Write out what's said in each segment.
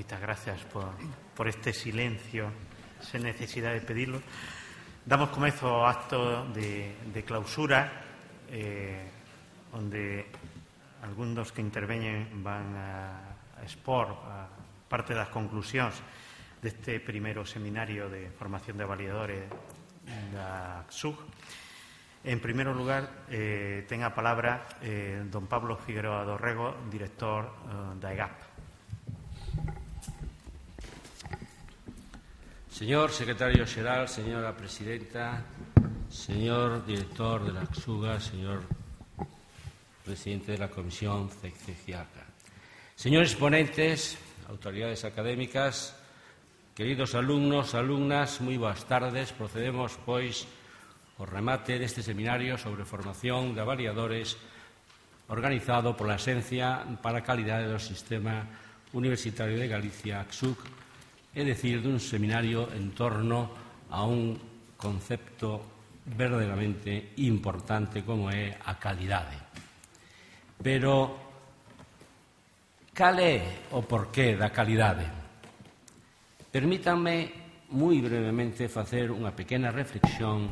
Moitas gracias por este silencio sen necesidade de pedirlo. Damos comezo ao acto de clausura onde algún dos que interveñen van a expor parte das conclusións deste primeiro seminario de formación de avaliadores da CSUG. En primeiro lugar, ten a palabra don Pablo Figueroa Dorrego, director da EGAP. Señor secretario xeral, señora presidenta, señor director de la CSUG, señor presidente de la Comisión CECIACA, señores ponentes, autoridades académicas, queridos alumnos, alumnas, moi boas tardes. Procedemos, pois, ao remate deste seminario sobre formación de avaliadores organizado pola Axencia para a Calidade do Sistema Universitario de Galicia, CSUG, é dicir, dun seminario en torno a un concepto verdadeiramente importante como é a calidade. Pero, cal é o porqué da calidade? Permítanme moi brevemente facer unha pequena reflexión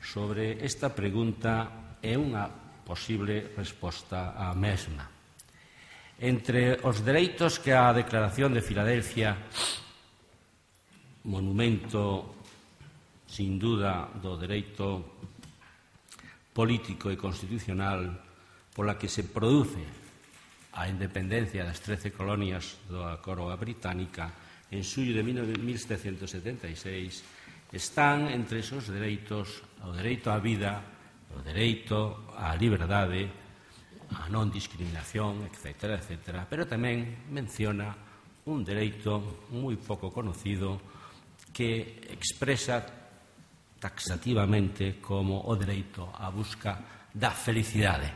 sobre esta pregunta e unha posible resposta á mesma. Entre os dereitos que a Declaración de Filadelfia, monumento, sin duda, do dereito político e constitucional pola que se produce a independencia das 13 colonias da Coroa Británica en xullo de 1776, están entre esos dereitos o dereito á vida, o dereito á liberdade, a non discriminación, etc., etc., pero tamén menciona un dereito moi pouco conocido que expresa taxativamente como o dereito á busca da felicidade.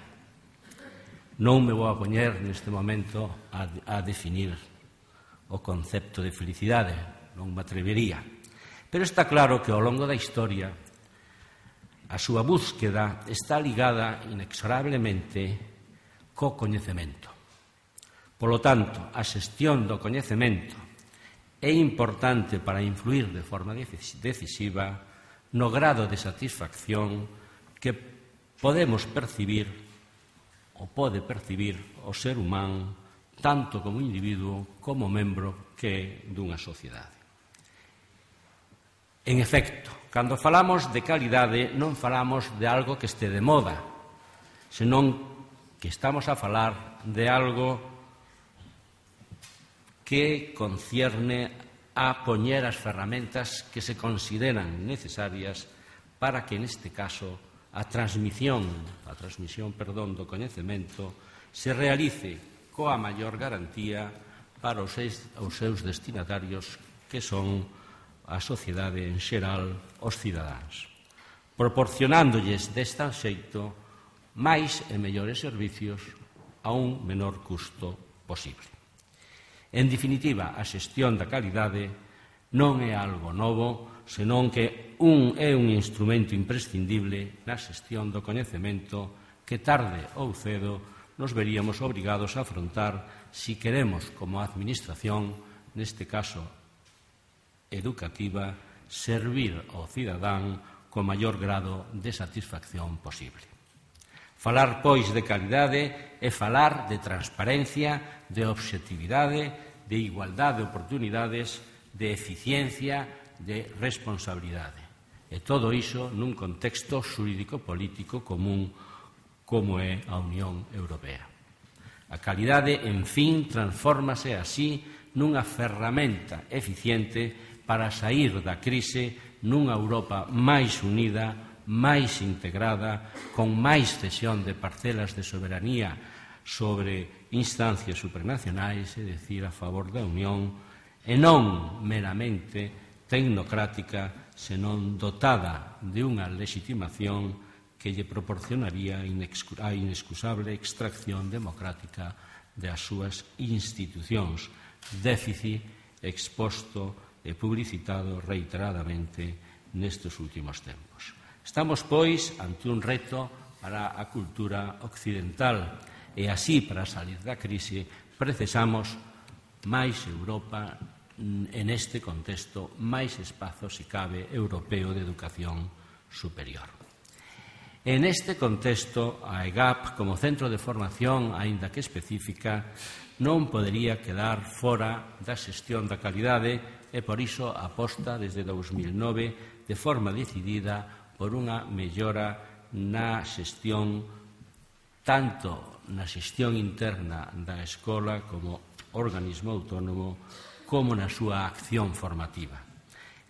Non me vou a poñer neste momento a definir o concepto de felicidade, non me atrevería. Pero está claro que ao longo da historia a súa búsqueda está ligada inexorablemente co coñecemento. Polo tanto, a xestión do coñecemento é importante para influir de forma decisiva no grado de satisfacción que podemos percibir ou pode percibir o ser humano tanto como individuo como membro que é dunha sociedade. En efecto, cando falamos de calidade non falamos de algo que este de moda, senón que estamos a falar de algo que concierne a poñer as ferramentas que se consideran necesarias para que, neste caso, a transmisión do coñecemento se realice coa maior garantía para os seus destinatarios, que son a sociedade en xeral, os cidadáns, proporcionándolles deste xeito máis e mellores servicios a un menor custo posible. En definitiva, a xestión da calidade non é algo novo, senón que é un instrumento imprescindible na xestión do coñecemento que tarde ou cedo nos veríamos obrigados a afrontar si queremos, como administración, neste caso educativa, servir ao cidadán co maior grado de satisfacción posible. Falar, pois, de calidade é falar de transparencia, de obxectividade, de igualdade de oportunidades, de eficiencia, de responsabilidade. E todo iso nun contexto xurídico-político común como é a Unión Europea. A calidade, en fin, transfórmase así nunha ferramenta eficiente para saír da crise nunha Europa máis unida, máis integrada, con máis cesión de parcelas de soberanía sobre instancias supranacionais, é dicir, a favor da Unión, e non meramente tecnocrática, senón dotada de unha legitimación que lle proporcionaría a inexcusable extracción democrática das súas institucións, déficit exposto e publicitado reiteradamente nestes últimos tempos. Estamos, pois, ante un reto para a cultura occidental e así, para salir da crise, precisamos máis Europa en este contexto, máis espazo, se cabe, europeo de educación superior. En este contexto, a EGAP, como centro de formación, aínda que específica, non podería quedar fora da xestión da calidade e, por iso, aposta desde 2009 de forma decidida por unha mellora na xestión, tanto na xestión interna da escola como organismo autónomo, como na súa acción formativa,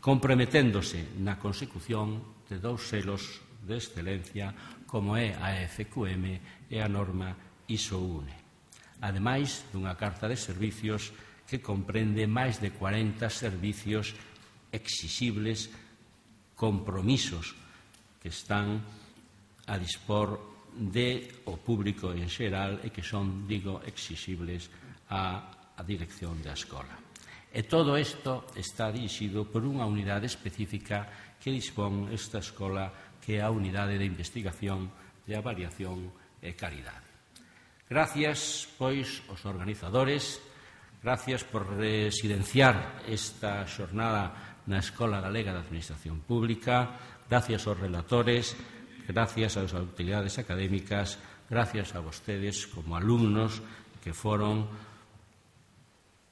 comprometéndose na consecución de 2 selos de excelencia como é a FQM e a norma ISO-UNE, ademais dunha carta de servicios que comprende máis de 40 servicios exixibles, compromisos que están a dispor do público en xeral e que son, digo, exixibles á dirección da escola. E todo isto está dirixido por unha unidade específica que dispón esta escola, que é a Unidade de Investigación, de Avaliación e Calidade. Gracias, pois, aos organizadores, gracias por residenciar esta xornada na Escola Galega de Administración Pública, gracias aos relatores, gracias ás autoridades académicas, gracias a vostedes como alumnos que foron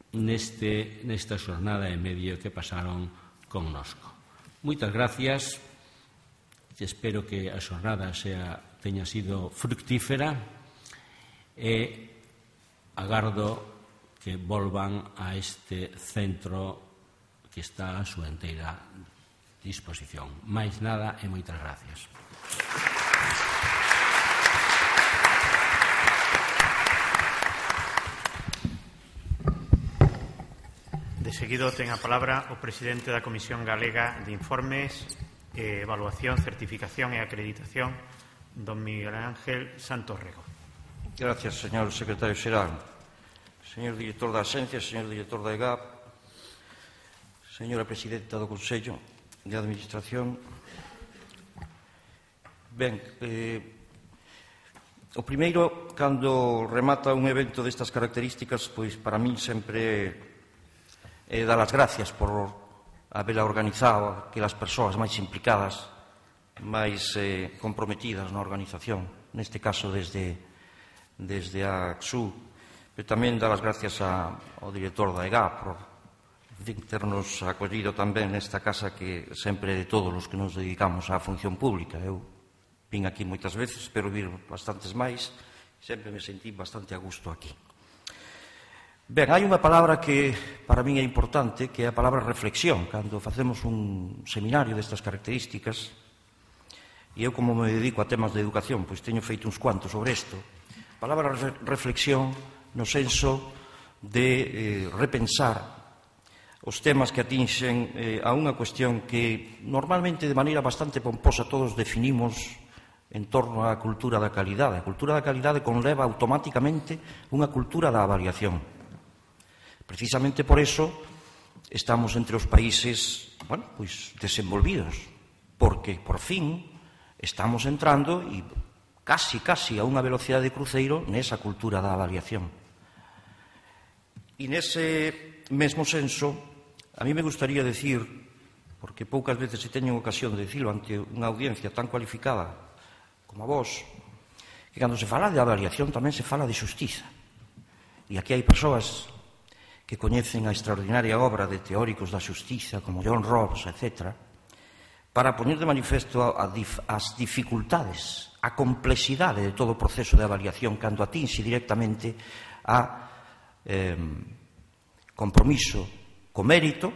nesta xornada e medio que pasaron connosco. Moitas gracias, espero que a xornada teña sido fructífera e agardo que volvan a este centro que está a súa inteira disposición. Máis nada e moitas gracias. De seguido ten a palabra o presidente da Comisión Galega de Informes, Evaluación, Certificación e Acreditación, don Miguel Ángel Santos Rego. Gracias, señor secretario xeral. Señor director da Axencia, señor director da EGAP, señora presidenta do Consello de Administración. Ben, o primeiro, cando remata un evento destas características, pois para min sempre dar as gracias por habela organizado, que as persoas máis implicadas, máis comprometidas na organización, neste caso desde a ACSU, pero tamén dar as gracias ao director da EGAP por ternos acollido tamén nesta casa que sempre de todos os que nos dedicamos á función pública. Eu vin aquí moitas veces, espero vir bastantes máis, sempre me sentí bastante a gusto aquí. Ben, hai unha palabra que para min é importante, que é a palabra reflexión. Cando facemos un seminario destas características, e eu como me dedico a temas de educación, pois teño feito uns cuantos sobre isto, a palabra reflexión no senso de repensar os temas que atinxen a unha cuestión que normalmente de maneira bastante pomposa todos definimos en torno á cultura da calidade. A cultura da calidade conleva automáticamente unha cultura da avaliación. Precisamente por eso estamos entre os países, desenvolvidos, porque por fin estamos entrando e casi a unha velocidade de cruceiro nesa cultura da avaliación. E nese mesmo senso, a mí me gustaría decir, porque poucas veces se teñen ocasión de decirlo ante unha audiencia tan cualificada como a vos, que cando se fala de avaliación tamén se fala de xustiza. E aquí hai persoas que coñecen a extraordinaria obra de teóricos da xustiza como John Rawls, etc., para poñer de manifesto as dificultades, a complexidade de todo o proceso de avaliación cando atinxe directamente a compromiso co mérito,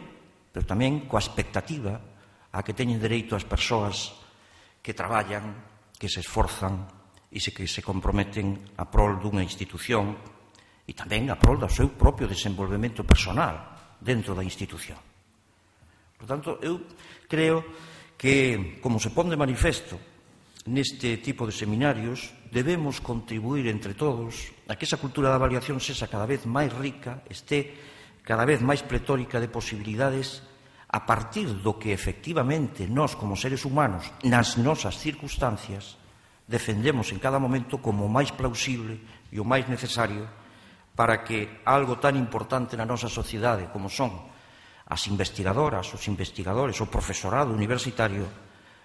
pero tamén coa expectativa a que teñen dereito as persoas que traballan, que se esforzan e que se comprometen a prol dunha institución e tamén a prol do seu propio desenvolvemento personal dentro da institución. Por tanto, eu creo que, como se pon de manifesto neste tipo de seminarios, debemos contribuir entre todos a que esa cultura de avaliación sexa cada vez máis rica, este cada vez máis pletórica de posibilidades a partir do que efectivamente nós, como seres humanos, nas nosas circunstancias, defendemos en cada momento como o máis plausible e o máis necesario para que algo tan importante na nosa sociedade como son as investigadoras, os investigadores, o profesorado universitario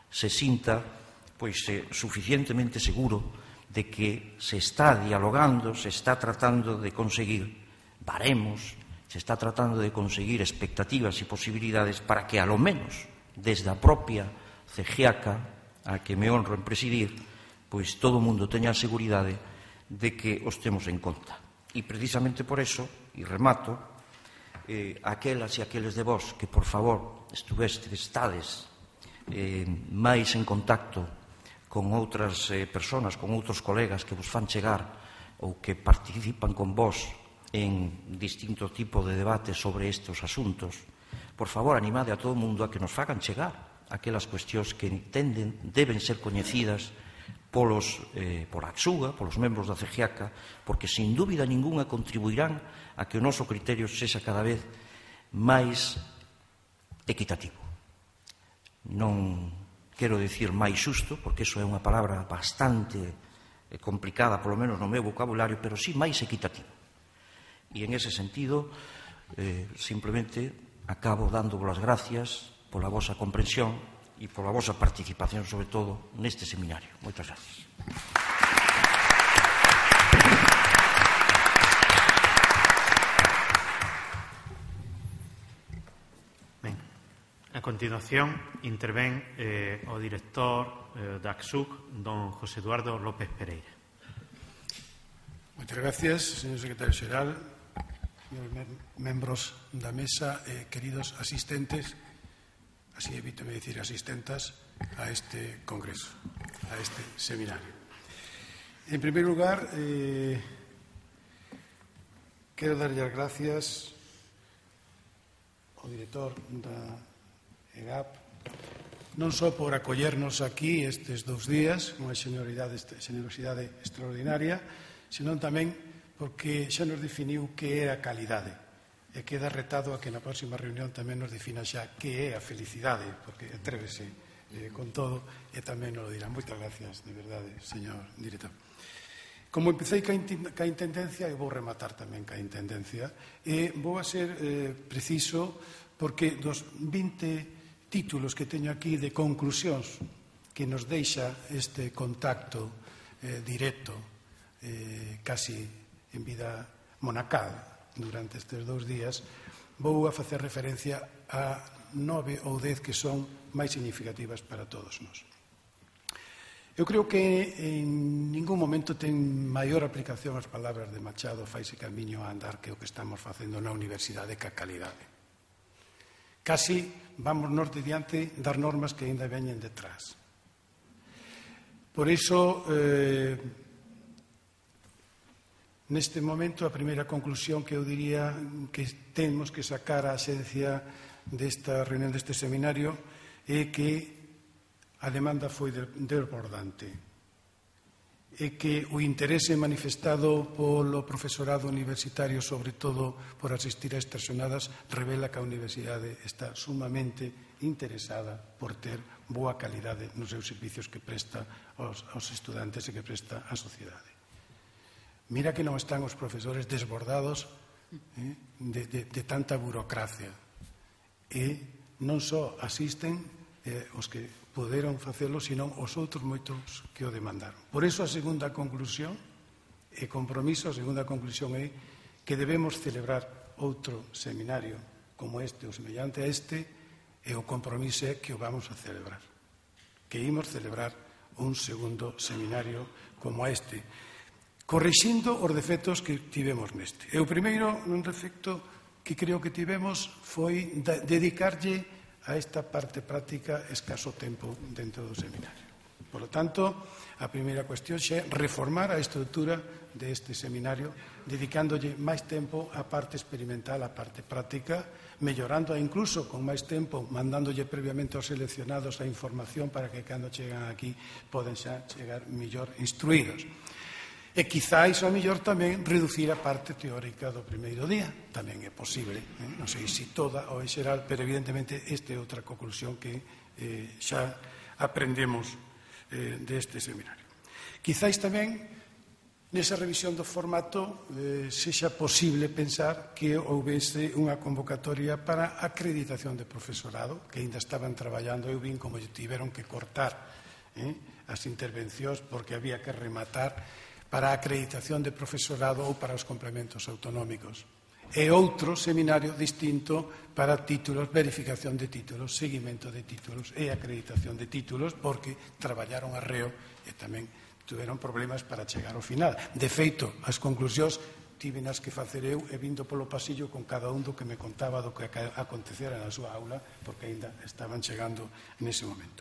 se sinta suficientemente seguro de que se está dialogando, se está tratando de conseguir baremos, se está tratando de conseguir expectativas e posibilidades para que, a lo menos, desde a propia CEGIACA, a que me honro en presidir, pois todo o mundo teña a seguridade de que os temos en conta. E precisamente por eso, e remato, aquelas e aqueles de vós que, por favor, estades máis en contacto con outras persoas, con outros colegas que vos fan chegar ou que participan con vós en distinto tipo de debate sobre estes asuntos, por favor, animade a todo o mundo a que nos fagan chegar aquelas cuestións que entenden deben ser coñecidas por Axuga, polos membros da CEGIACA, porque sin dúbida ninguna contribuirán a que o noso criterio sexa cada vez máis equitativo. Non quero dicir máis xusto, porque iso é unha palabra bastante complicada, polo menos no meu vocabulario, pero sí máis equitativo. E en ese sentido, simplemente acabo dándovos as gracias pola vosa comprensión e pola vosa participación, sobre todo, neste seminario. Moitas gracias. A continuación, intervén o director da ACSUC, don José Eduardo López Pereira. Moitas gracias, señor secretario xeral, membros da mesa e queridos asistentes, así evítame dicir asistentas, a este congreso, a este seminario. En primer lugar, quero darlle as gracias ao director da EGAP, non só por acollernos aquí estes 2 días, unha xenerosidade extraordinaria, senón tamén porque xa nos definiu que é a calidade e queda retado a que na próxima reunión tamén nos defina xa que é a felicidade, porque atrévese con todo e tamén nos lo dirá. Moitas gracias, de verdade, señor director. Como empecé ca intendencia, eu vou rematar tamén ca intendencia, e vou a ser preciso porque dos 20 títulos que teño aquí de conclusións que nos deixa este contacto directo, casi en vida monacal durante estes 2 días, vou a facer referencia a 9 ou 10 que son máis significativas para todos nós. Eu creo que en ningún momento ten maior aplicación as palabras de Machado, faise camiño a andar, que o que estamos facendo na universidade ca calidade. Casi vamos nos de diante das normas que ainda veñen detrás. Por iso, neste momento, a primeira conclusión que eu diría que temos que sacar a xencia desta reunión deste seminario é que a demanda foi desbordante e que o interese manifestado polo profesorado universitario, sobre todo por asistir a estas xornadas, revela que a universidade está sumamente interesada por ter boa calidade nos seus servicios que presta aos estudantes e que presta á sociedade. Mira que non están os profesores desbordados de tanta burocracia e non só asisten os que poderon facelo, senón os outros moitos que o demandaron. Por iso a segunda conclusión e compromiso, a segunda conclusión é que debemos celebrar outro seminario como este ou semellante a este, e o compromiso é que o vamos a celebrar, que imos celebrar un segundo seminario como este, corrixindo os defectos que tivemos neste. E o primeiro defecto que creo que tivemos foi dedicarlle a esta parte práctica escaso tempo dentro do seminario. Por lo tanto, a primeira cuestión é reformar a estrutura deste seminario, dedicándolle máis tempo á parte experimental, á parte práctica, mellorando incluso con máis tempo, mandándolle previamente aos seleccionados a información para que cando chegan aquí poden xa chegar mellor instruídos. E quizáis ao mellor tamén reducir a parte teórica do primeiro día. Tamén é posible, non sei se toda ou en xeral, pero evidentemente esta é outra conclusión que xa aprendemos deste seminario. Quizáis tamén nesa revisión do formato sexa posible pensar que houvese unha convocatoria para acreditación de profesorado, que ainda estaban traballando, eu vin como tiveron que cortar as intervencións porque había que rematar para a acreditación de profesorado ou para os complementos autonómicos. E outro seminario distinto para títulos, verificación de títulos, seguimento de títulos e acreditación de títulos, porque traballaron arreo e tamén tiveron problemas para chegar ao final. De feito, as conclusións tívenas que facer eu e vindo polo pasillo con cada un do que me contaba do que acontecera na súa aula, porque aínda estaban chegando nese momento.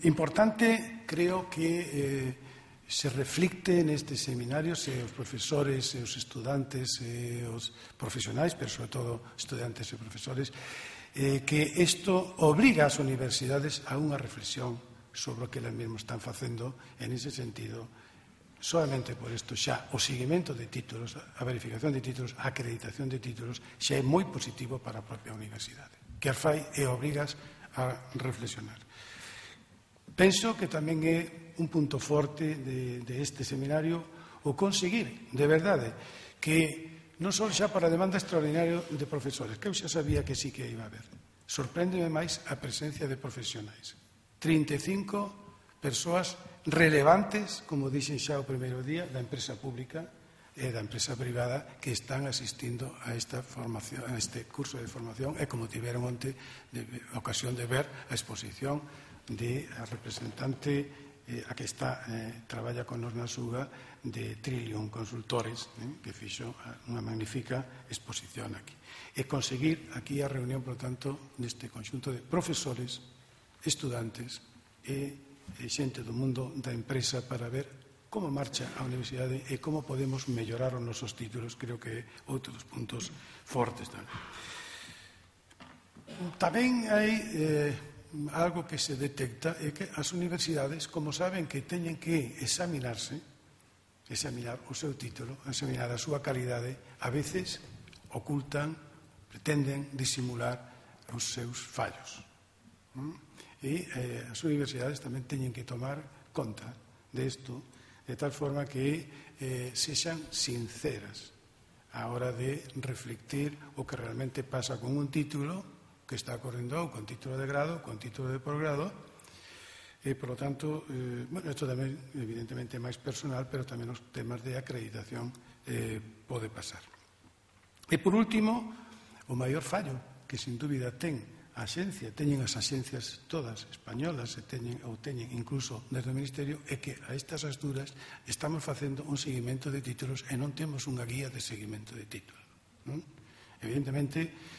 Importante, creo que se reflicte neste seminario se os profesores e os estudantes e os profesionais, pero sobre todo estudantes e profesores, que isto obriga ás universidades a unha reflexión sobre o que elas mesmas están facendo. En ese sentido, solamente por isto xa o seguimento de títulos, a verificación de títulos, a acreditación de títulos xa é moi positivo para a propia universidade, que as fai e obrigas a reflexionar. Penso que tamén é un punto forte de este seminario o conseguir, de verdade, que non só xa para a demanda extraordinaria de profesores, que eu xa sabía que sí que iba a haber. Sorpréndeme máis a presencia de profesionais. 35 persoas relevantes, como dixen xa o primeiro día, da empresa pública e da empresa privada que están asistindo a esta formación, a este curso de formación, e como tiveron onte ocasión de ver a exposición de a representante a que traballa con nos na Suga de Trillium Consultores, que fixo unha magnífica exposición aquí. E conseguir aquí a reunión, por tanto, neste conxunto de profesores, estudantes e xente do mundo da empresa para ver como marcha a universidade e como podemos mellorar os nosos títulos. Creo que é outro dos puntos fortes. Tamén hai algo que se detecta, é que as universidades, como saben que teñen que examinar o seu título, examinar a súa calidade, a veces ocultan, pretenden disimular os seus fallos. E as universidades tamén teñen que tomar conta disto, de tal forma que sexan sinceras a hora de reflectir o que realmente pasa con un título que está ocorrendo con título de grado, con título de posgrado, e, por lo tanto, isto tamén, evidentemente, é máis personal, pero tamén os temas de acreditación pode pasar. E, por último, o maior fallo que, sin dúbida, ten a xencia, teñen as axencias todas españolas, ou teñen incluso desde o Ministerio, é que a estas alturas estamos facendo un seguimento de títulos e non temos unha guía de seguimento de títulos. Evidentemente,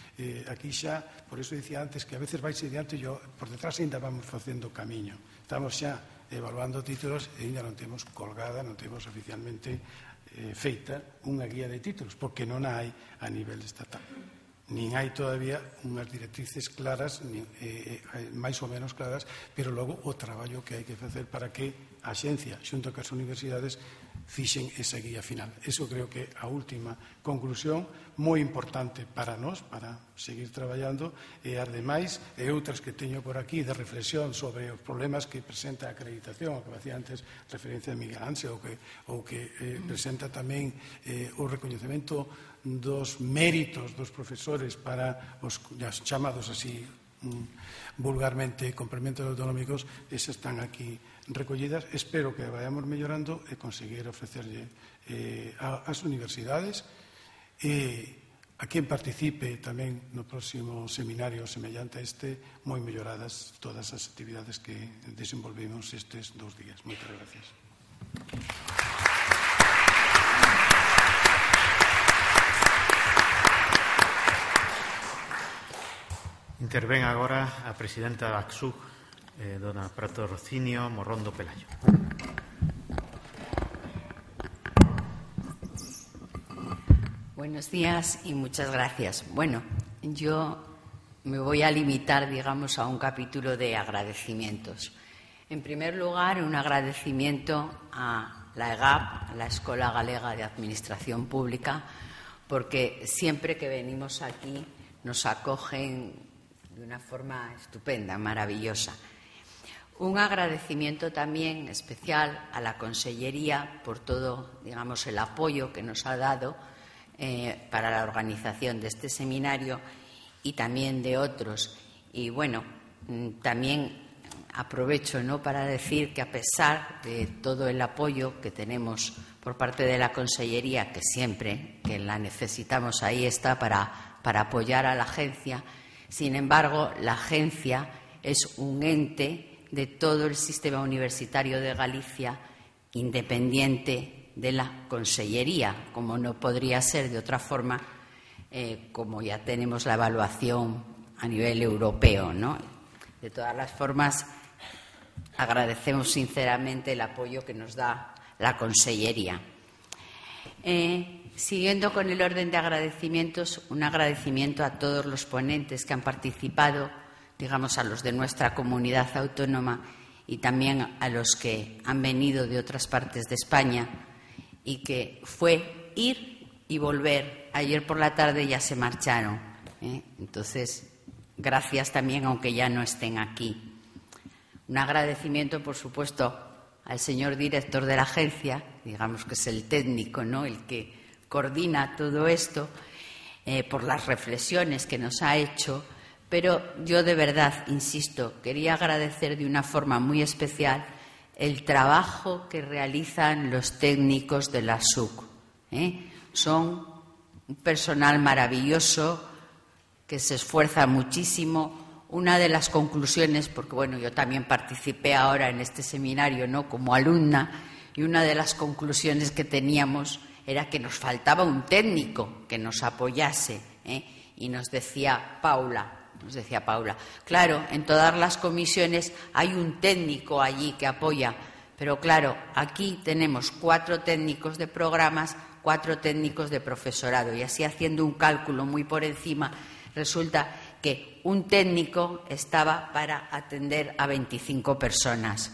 aquí xa, por iso dicía antes que a veces vais adiante e por detrás ainda vamos facendo camiño. Estamos xa evaluando títulos e ainda non temos colgada, non temos oficialmente feita unha guía de títulos, porque non hai a nivel estatal. Nin hai todavía unhas directrices claras, máis ou menos claras, pero logo o traballo que hai que facer para que a xencia, xunto cas universidades, fixen esa guía final. Eso creo que a última conclusión moi importante para nós, para seguir traballando, e as demais e outras que teño por aquí de reflexión sobre os problemas que presenta a acreditación, o que facía antes referencia a Miguel Ángel, ou que presenta tamén o recoñecemento dos méritos dos profesores para os chamados así vulgarmente complementos autonómicos, esas están aquí recollidas. Espero que vayamos mellorando e conseguir ofrecerlle ás universidades e a quen participe tamén no próximo seminario semellante a este, moi melloradas todas as actividades que desenvolvimos estes 2 días. Moitas gracias. Intervén agora a presidenta da ACSUG, dona Patrocinio Morrondo Pelayo. Buenos días y muchas gracias. Bueno, yo me voy a limitar, digamos, a un capítulo de agradecimientos. En primer lugar, un agradecimiento a la EGAP, a la Escola Galega de Administración Pública, porque siempre que venimos aquí nos acogen de una forma estupenda, maravillosa. Un agradecimiento también especial a la Consellería por todo, digamos, el apoyo que nos ha dado para la organización de este seminario y también de otros. Y bueno, también aprovecho, ¿no?, para decir que a pesar de todo el apoyo que tenemos por parte de la Consellería, que siempre que la necesitamos ahí está para apoyar a la agencia, sin embargo, la agencia es un ente de todo el sistema universitario de Galicia, independiente de la Consellería, como no podría ser de otra forma, como ya tenemos la evaluación a nivel europeo, ¿no? De todas las formas, agradecemos sinceramente el apoyo que nos da la Consellería. Siguiendo con el orden de agradecimientos, un agradecimiento a todos los ponentes que han participado, digamos, a los de nuestra comunidad autónoma y también a los que han venido de otras partes de España, y que fue ir y volver. Ayer por la tarde ya se marcharon, Entonces, gracias también, aunque ya no estén aquí. Un agradecimiento, por supuesto, al señor director de la agencia, digamos que es el técnico, ¿no?, el que coordina todo esto, por las reflexiones que nos ha hecho. Pero yo de verdad, insisto, quería agradecer de una forma muy especial el trabajo que realizan los técnicos de la SUC. Son un personal maravilloso que se esfuerza muchísimo. Una de las conclusiones, porque bueno, yo también participé ahora en este seminario, ¿no?, como alumna, y una de las conclusiones que teníamos era que nos faltaba un técnico que nos apoyase, y nos decía Paula, claro, en todas las comisiones hay un técnico allí que apoya, pero claro, aquí tenemos 4 técnicos de programas, 4 técnicos de profesorado, y así, haciendo un cálculo muy por encima, resulta que un técnico estaba para atender a 25 personas.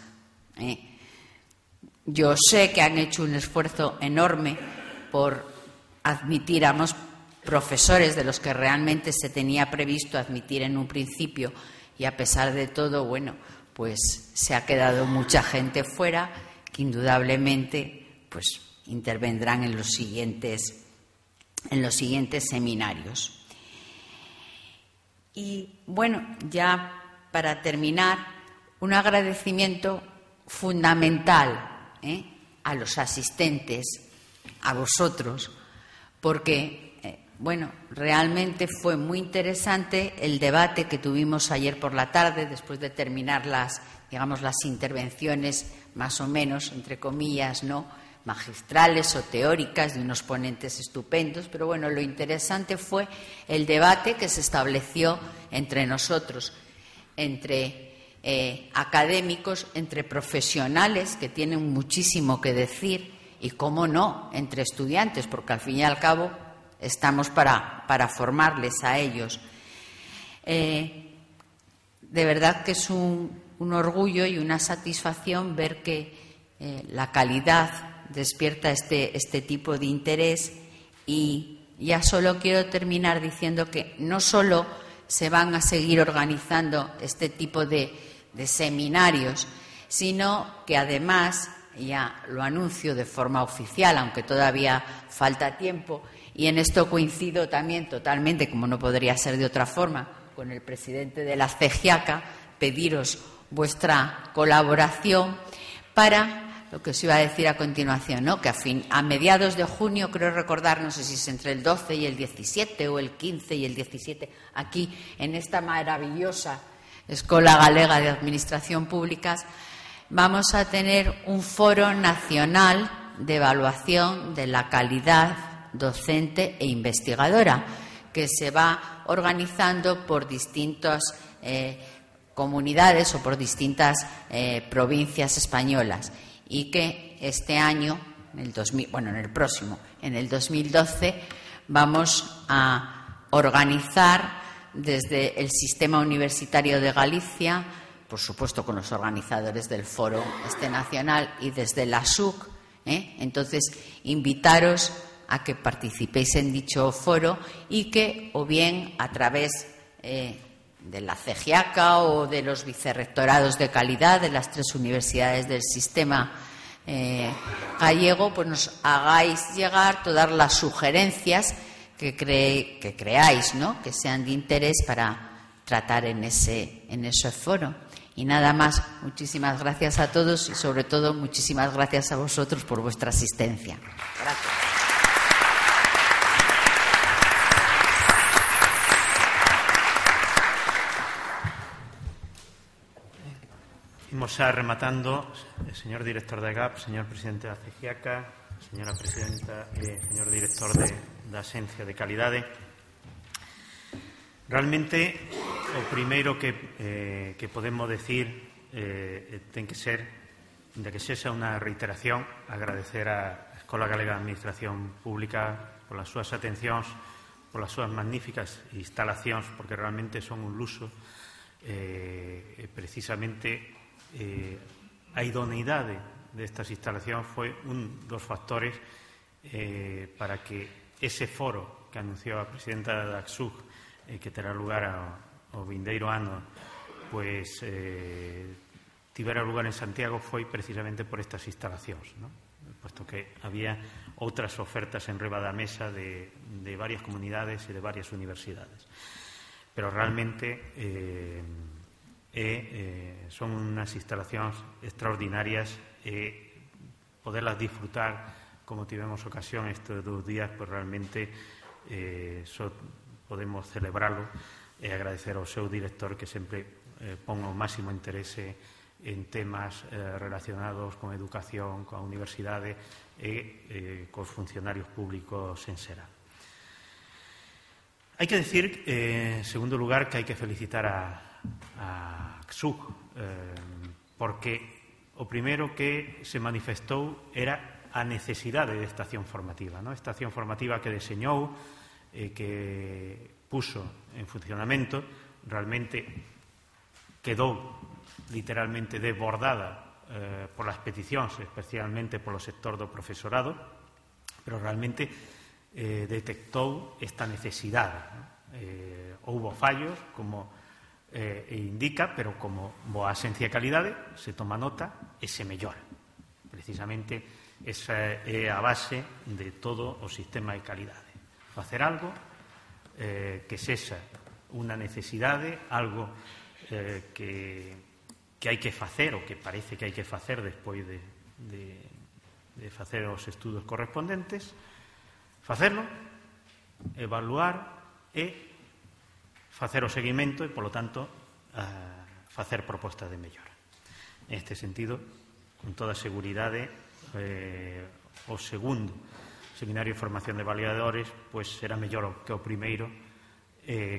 Yo sé que han hecho un esfuerzo enorme por admitir a más profesores de los que realmente se tenía previsto admitir en un principio, y a pesar de todo, bueno, pues se ha quedado mucha gente fuera que indudablemente pues intervendrán en los siguientes seminarios. Y bueno, ya para terminar, un agradecimiento fundamental a los asistentes, a vosotros, porque bueno, realmente fue muy interesante el debate que tuvimos ayer por la tarde, después de terminar las intervenciones más o menos, entre comillas, ¿no?, magistrales o teóricas de unos ponentes estupendos. Pero bueno, lo interesante fue el debate que se estableció entre nosotros, entre académicos, entre profesionales que tienen muchísimo que decir, y, cómo no, entre estudiantes, porque al fin y al cabo estamos para formarles a ellos. De verdad que es un orgullo y una satisfacción ver que la calidad despierta este tipo de interés. Y ya solo quiero terminar diciendo que no solo se van a seguir organizando este tipo de seminarios, sino que además, ya lo anuncio de forma oficial, aunque todavía falta tiempo, y en esto coincido también totalmente, como no podría ser de otra forma, con el presidente de la CEGIACA, pediros vuestra colaboración para lo que os iba a decir a continuación, ¿no?, que a mediados de junio, creo recordar, no sé si es entre el 12 y el 17 o el 15 y el 17, aquí en esta maravillosa Escola Galega de Administración Públicas, vamos a tener un foro nacional de evaluación de la calidad docente e investigadora, que se va organizando por distintas comunidades o por distintas provincias españolas, y que este año, en el 2012, vamos a organizar desde el Sistema Universitario de Galicia, por supuesto con los organizadores del foro nacional, y desde la SUC. Entonces, invitaros a que participéis en dicho foro, y que, o bien a través la CEGIACA o de los vicerrectorados de calidad de las 3 universidades del sistema gallego, pues nos hagáis llegar todas las sugerencias que creáis, ¿no?, que sean de interés para tratar en ese foro. Y nada más, muchísimas gracias a todos y sobre todo muchísimas gracias a vosotros por vuestra asistencia. Gracias. Imos xa rematando, señor director da GAP, señor presidente da CEGIACA, señora presidenta e señor director da Axencia de Calidade. Realmente, o primeiro que podemos decir ten que ser, de que sexa unha reiteración, agradecer á Escola Galega de Administración Pública polas súas atencións, polas súas magníficas instalacións, porque realmente son un luxo, precisamente a idoneidade destas instalacións foi un dos factores para que ese foro que anunciou a presidenta da ACSUG, que terá lugar ao vindeiro ano, pois tivera lugar en Santiago, foi precisamente por estas instalacións, ¿no? Puesto que había outras ofertas en riba da mesa de varias comunidades e de varias universidades. Pero realmente son unhas instalacións extraordinarias e poderlas disfrutar como tivemos ocasión estes 2 días, pois realmente podemos celebralo e agradecer ao seu director que sempre pon o máximo interese en temas relacionados con educación, coa universidade e cos funcionarios públicos en xeral. Hai que decir, en segundo lugar, que hai que felicitar a CSUG, porque o primeiro que se manifestou era a necesidade de esta acción formativa, ¿no? Esta acción formativa que deseñou, que puso en funcionamento, realmente quedou literalmente desbordada polas peticións, especialmente polo sector do profesorado, pero realmente detectou esta necesidade, ¿no? Houbo fallos, como indica, pero como boa axencia de calidade se toma nota e se mellora. Precisamente esa é a base de todo o sistema de calidade. Facer algo que sexa unha necesidade, algo que hai que facer, ou que parece que hai que facer despois de facer os estudos correspondentes, facerlo, evaluar e facer o seguimento e, polo tanto, facer propostas de mellora. En este sentido, con toda seguridade, o segundo seminario de formación de avaliadores pois será mellor que o primeiro,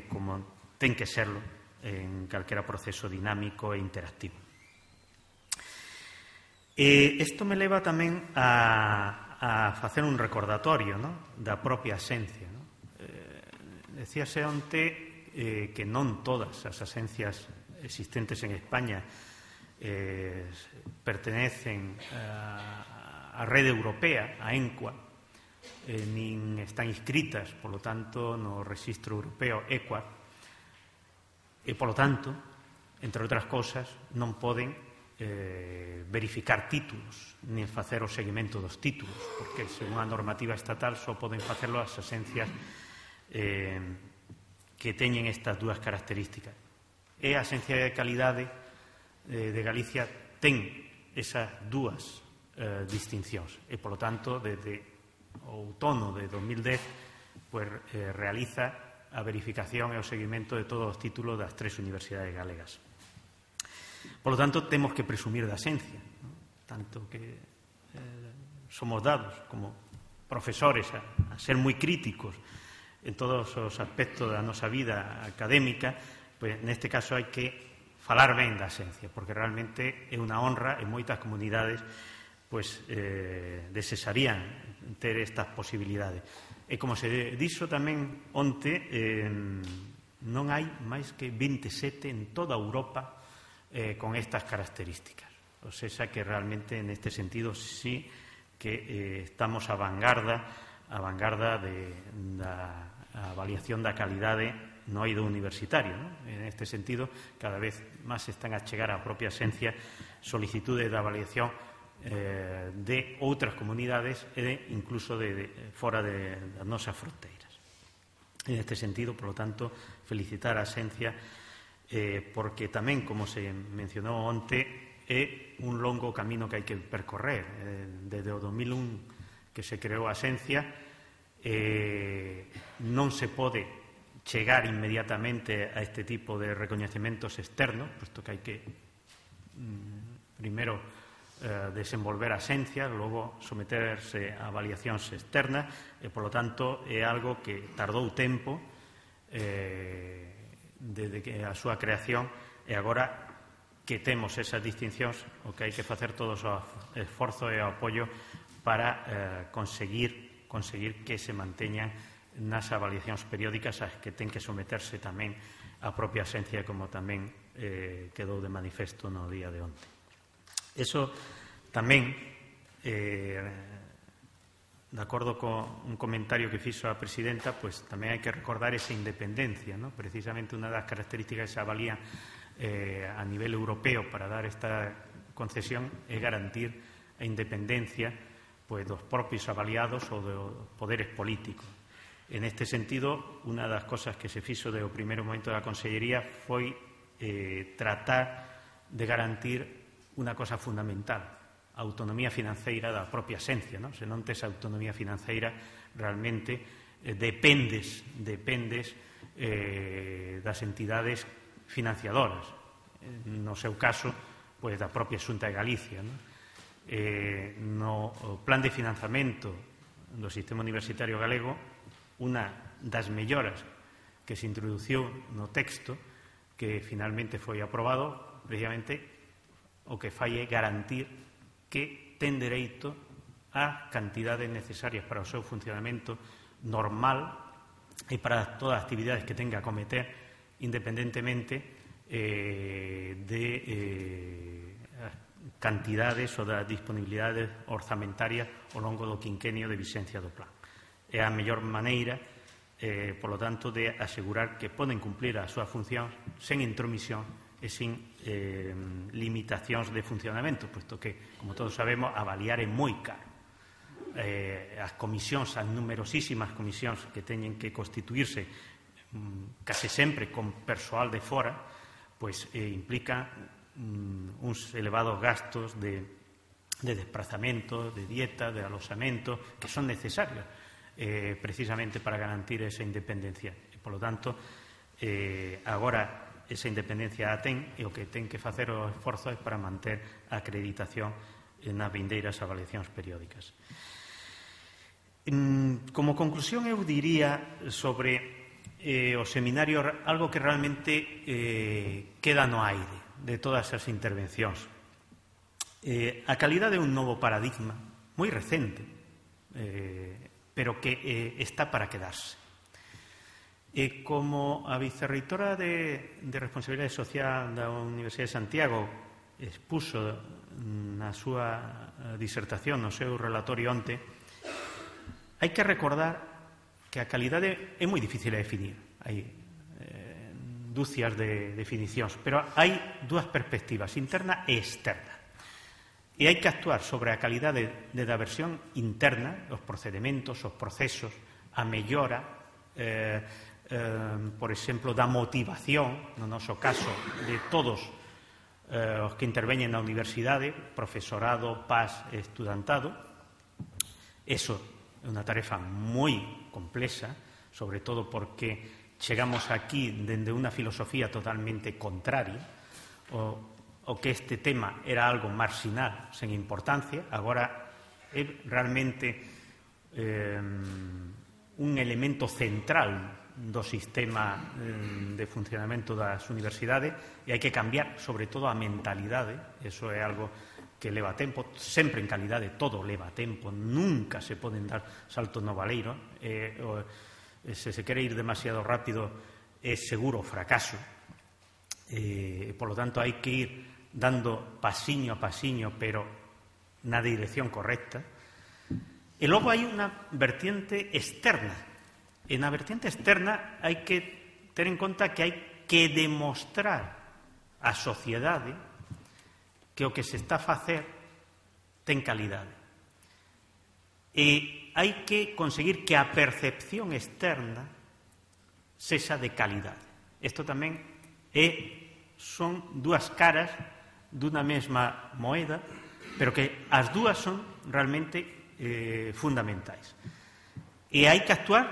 como ten que serlo en calquera proceso dinámico e interactivo. Isto me leva tamén a facer un recordatorio, ¿no?, da propia axencia, ¿no? Decíase onte que non todas as axencias existentes en España pertenecen á rede europea, a ENQUA, nin están inscritas, polo tanto, no registro europeo EQUA, e, polo tanto, entre outras cousas, non poden verificar títulos, nin facer o seguimento dos títulos, porque, según a normativa estatal, só poden facelo as axencias que teñen estas dúas características. E a Axencia de Calidade de Galicia ten esas dúas distincións e, polo tanto, desde o outono de 2010 pues, realiza a verificación e o seguimento de todos os títulos das 3 universidades galegas. Polo tanto, temos que presumir da axencia, ¿no? Tanto que somos dados como profesores a ser moi críticos en todos os aspectos da nosa vida académica, pois neste caso hai que falar ben da axencia, porque realmente é unha honra e moitas comunidades pois desesarían ter estas posibilidades. E como se dixo tamén onte, non hai máis que 27 en toda Europa con estas características. O sea que realmente neste sentido sí que estamos a vanguarda da avaliación da calidade no eido universitario, non? En este sentido, cada vez máis están a chegar á propia esencia solicitudes de avaliación de outras comunidades e incluso de fora das nosas fronteiras. En este sentido, por lo tanto, felicitar a Xencia porque tamén, como se mencionou onte, é un longo camino que hai que percorrer. Desde o 2001 que se creou a Xencia, non se pode chegar inmediatamente a este tipo de recoñecementos externos, posto que hai que primeiro desenvolver a Xencia, logo someterse a avaliacións externas e, polo tanto, é algo que tardou tempo desde que a súa creación, e agora que temos esas distincións, o que hai que facer todos o esforzo e o apoio para conseguir que se manteñan nas avaliacións periódicas as que ten que someterse tamén a propia Xencia, como tamén quedou de manifesto no día de onte. Eso tamén, de acordo con un comentario que fixo a presidenta, pues tamén hai que recordar esa independencia, ¿no? Precisamente unha das características que se avalían a nivel europeo para dar esta concesión é garantir a independencia pues, dos propios avaliados ou dos poderes políticos. En este sentido, unha das cosas que se fixo do primeiro momento da Consellería foi tratar de garantir unha cosa fundamental, a autonomía financeira da propia Xencia, non? Se non tes autonomía financeira, realmente dependes das entidades financiadoras. No seu caso, pois, da propia Xunta de Galicia, non? No plan de financiamento do sistema universitario galego, unha das melloras que se introduciu no texto, que finalmente foi aprobado, precisamente o que fai é garantir que ten dereito a cantidades necesarias para o seu funcionamento normal e para todas as actividades que tenga a cometer independentemente de cantidades ou das disponibilidades orzamentarias ao longo do quinquenio de vixencia do plan. É a mellor maneira, polo tanto, de asegurar que poden cumplir a súa función sen intromisión e sin limitacións de funcionamento, puesto que, como todos sabemos, avaliar é moi caro. As comisións, as numerosísimas comisións que teñen que constituirse case sempre con persoal de fora, pois implica uns elevados gastos de desplazamento, de dieta, de aloxamento, que son necesarios precisamente para garantir esa independencia. E, polo tanto, agora esa independencia a ten e o que ten que facer o esforzo é para manter a acreditación nas vindeiras avaliacións periódicas. Como conclusión, eu diría sobre o seminario algo que realmente queda no aire de todas as intervencións. A calidade é un novo paradigma moi recente, pero que está para quedarse. E como a vicerreitora de Responsabilidade Social da Universidade de Santiago expuso na súa disertación, no seu relatorio onte, hai que recordar que a calidade é moi difícil de definir. Hai dúcias de definicións, pero hai dúas perspectivas, interna e externa. E hai que actuar sobre a calidade da versión interna, os procedementos, os procesos, a mellora, por exemplo, da motivación, no noso caso, de todos os que interveñen na universidade, profesorado, PAS e estudantado. Eso é unha tarefa moi complexa, sobre todo porque chegamos aquí dende unha filosofía totalmente contraria, o que este tema era algo marxinal, sen importancia, agora é realmente un elemento central do sistema de funcionamento das universidades e hai que cambiar, sobre todo, a mentalidade. Eso é algo que leva tempo, sempre en calidade todo leva tempo, nunca se poden dar saltos no baleiro, se quere ir demasiado rápido é seguro fracaso, por lo tanto hai que ir dando pasiño a pasiño, pero na dirección correcta. E logo hai unha vertiente externa. E na vertiente externa hai que ter en conta que hai que demostrar á sociedade que o que se está a facer ten calidade. E hai que conseguir que a percepción externa sexa de calidade. Isto tamén son dúas caras dunha mesma moeda, pero que as dúas son realmente fundamentais. E hai que actuar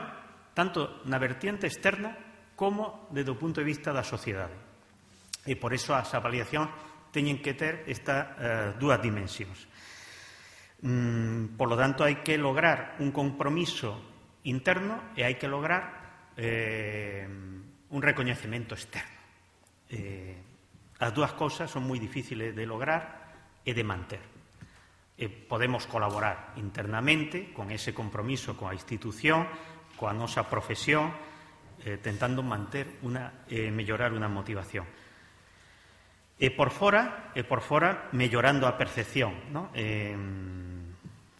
tanto na vertiente externa como desde o punto de vista da sociedade. E por iso as avaliacións teñen que ter estas dúas dimensións. Por lo tanto, hai que lograr un compromiso interno e hai que lograr un recoñecemento externo. As dúas cousas son moi difíciles de lograr e de manter. Podemos colaborar internamente con ese compromiso coa institución, coa nosa profesión, tentando mellorar unha motivación. E por fora, mellorando a percepción, non?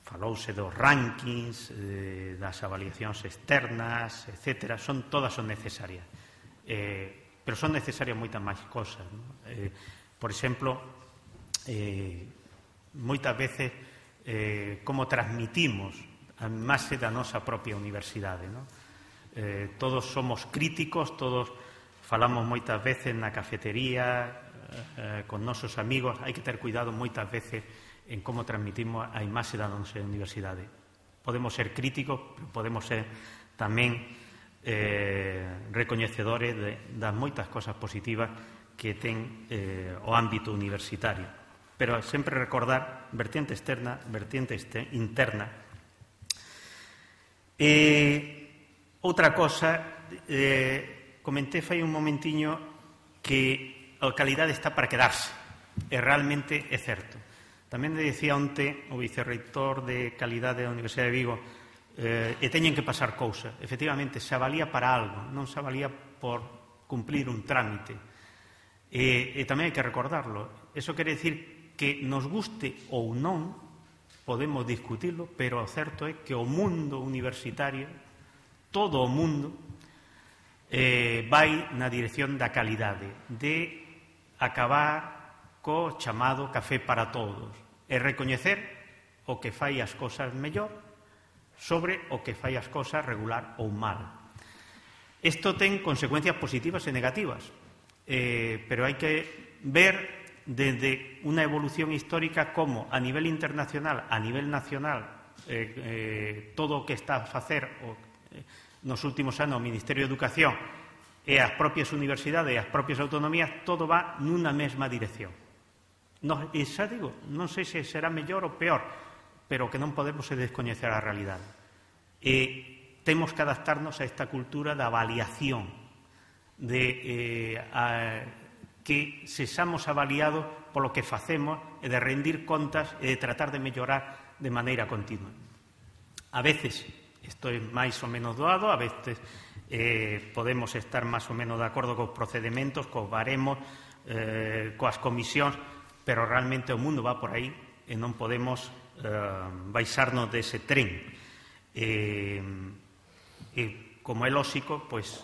Falouse dos rankings, das avaliacións externas, etc. Todas son necesarias. Pero son necesarias moitas máis cosas. Por exemplo, moitas veces como transmitimos a imaxe da nosa propia universidade. Todos somos críticos, todos falamos moitas veces na cafetería, con nosos amigos. Hai que ter cuidado moitas veces en como transmitimos a imaxe da nosa universidade. Podemos ser críticos, pero podemos ser tamén recoñecedores das moitas cosas positivas que ten o ámbito universitario. Pero sempre recordar vertiente externa, vertiente interna. Outra cosa, comentei fai un momentiño que a calidade está para quedarse, e realmente é certo. Tamén decía onte o vicerreitor de calidade da Universidade de Vigo, e teñen que pasar cousas. Efectivamente, se avalía para algo, non se avalía por cumplir un trámite. E tamén hai que recordarlo. Eso quere dicir que nos guste ou non, podemos discutirlo, pero o certo é que o mundo universitario, todo o mundo, vai na dirección da calidade, de acabar co chamado café para todos, e recoñecer o que fai as cosas mellor sobre o que fai as cosas regular ou mal. Isto ten consecuencias positivas e negativas, pero hai que ver desde unha evolución histórica como a nivel internacional, a nivel nacional, todo o que está a facer nos últimos anos o Ministerio de Educación e as propias universidades e as propias autonomías, todo va nunha mesma dirección. E xa digo, non sei se será mellor ou peor, pero que non podemos descoñecer a realidade. E temos que adaptarnos a esta cultura da avaliación, de que sexamos avaliados polo que facemos e de rendir contas e de tratar de mellorar de maneira continua. A veces isto é máis ou menos doado, a veces podemos estar máis ou menos de acordo cos procedimentos, cos baremos, coas comisións, pero realmente o mundo va por aí e non podemos baixarnos dese tren. E como é lóxico, pois,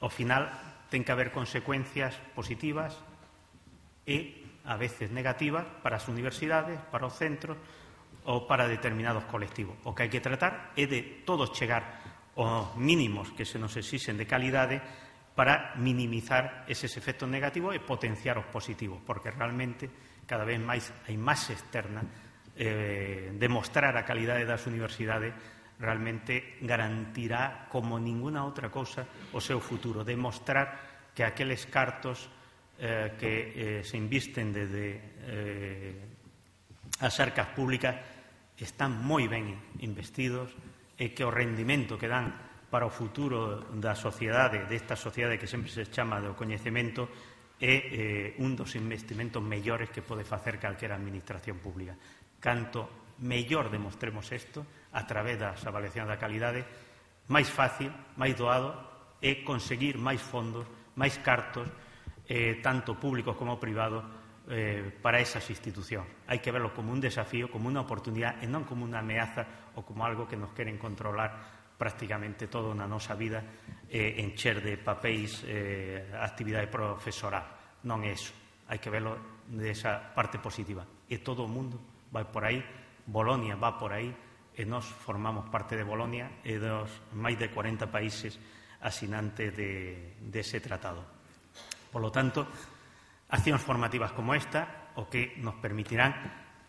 ao final ten que haber consecuencias positivas e a veces negativas para as universidades, para os centros ou para determinados colectivos. O que hai que tratar é de todos chegar aos mínimos que se nos exixen de calidade para minimizar eses efectos negativos e potenciar os positivos, porque realmente cada vez máis a imaxe externa, demostrar a calidade das universidades realmente garantirá como ninguna outra cousa o seu futuro, demostrar que aqueles cartos que se invisten desde as arcas públicas están moi ben investidos e que o rendimento que dan para o futuro da sociedade, desta sociedade que sempre se chama do coñecemento, é un dos investimentos mellores que pode facer calquera administración pública. Canto mellor demostremos isto a través das avaliacións da calidade, máis fácil, máis doado é conseguir máis fondos, máis cartos, tanto públicos como privados, para esas institucións. Hai que verlo como un desafío, como unha oportunidade e non como unha ameaza ou como algo que nos queren controlar prácticamente toda a nosa vida encher de papéis actividade profesoral. Non é iso, hai que velo desa parte positiva. E todo o mundo vai por aí, Bolonia va por aí, e nós formamos parte de Bolonia e dos máis de 40 países asinantes dese tratado. Por lo tanto, accións formativas como esta o que nos permitirán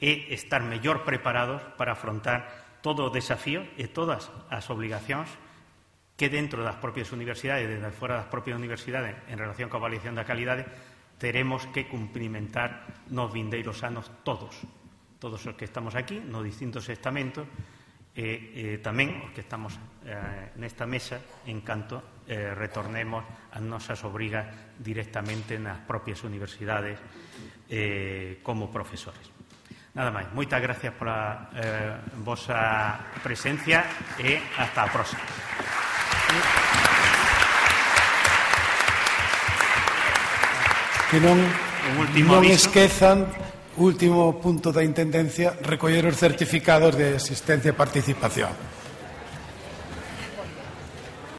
é estar mellor preparados para afrontar todo o desafío e todas as obligacións que dentro das propias universidades e desde fora das propias universidades en relación coa avaliación da calidade teremos que cumprimentar nos vindeiros anos todos os que estamos aquí, nos distintos estamentos e tamén os que estamos nesta mesa en canto retornemos as nosas obrigas directamente nas propias universidades como profesores. Nada máis, moitas gracias pola vosa presencia e hasta a próxima. Que non esquezan, último punto da Intendencia, recoller os certificados de asistencia e participación.